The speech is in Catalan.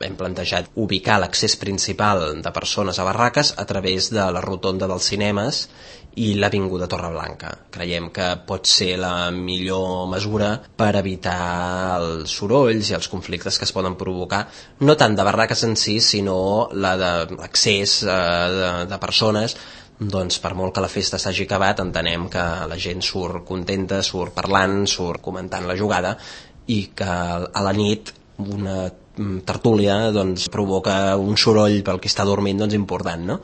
hem plantejat ubicar l'accés principal de persones a barraques a través de la rotonda dels cinemes i l'Avinguda Torreblanca. Creiem que pot ser la millor mesura per evitar els sorolls i els conflictes que es poden provocar, no tant de barraques en si, sinó la d'accés de persones. Doncs per molt que la festa s'hagi acabat, entenem que la gent surt contenta, surt parlant, surt comentant la jugada, i que a la nit una tertúlia doncs provoca un soroll pel que està dormint important, no?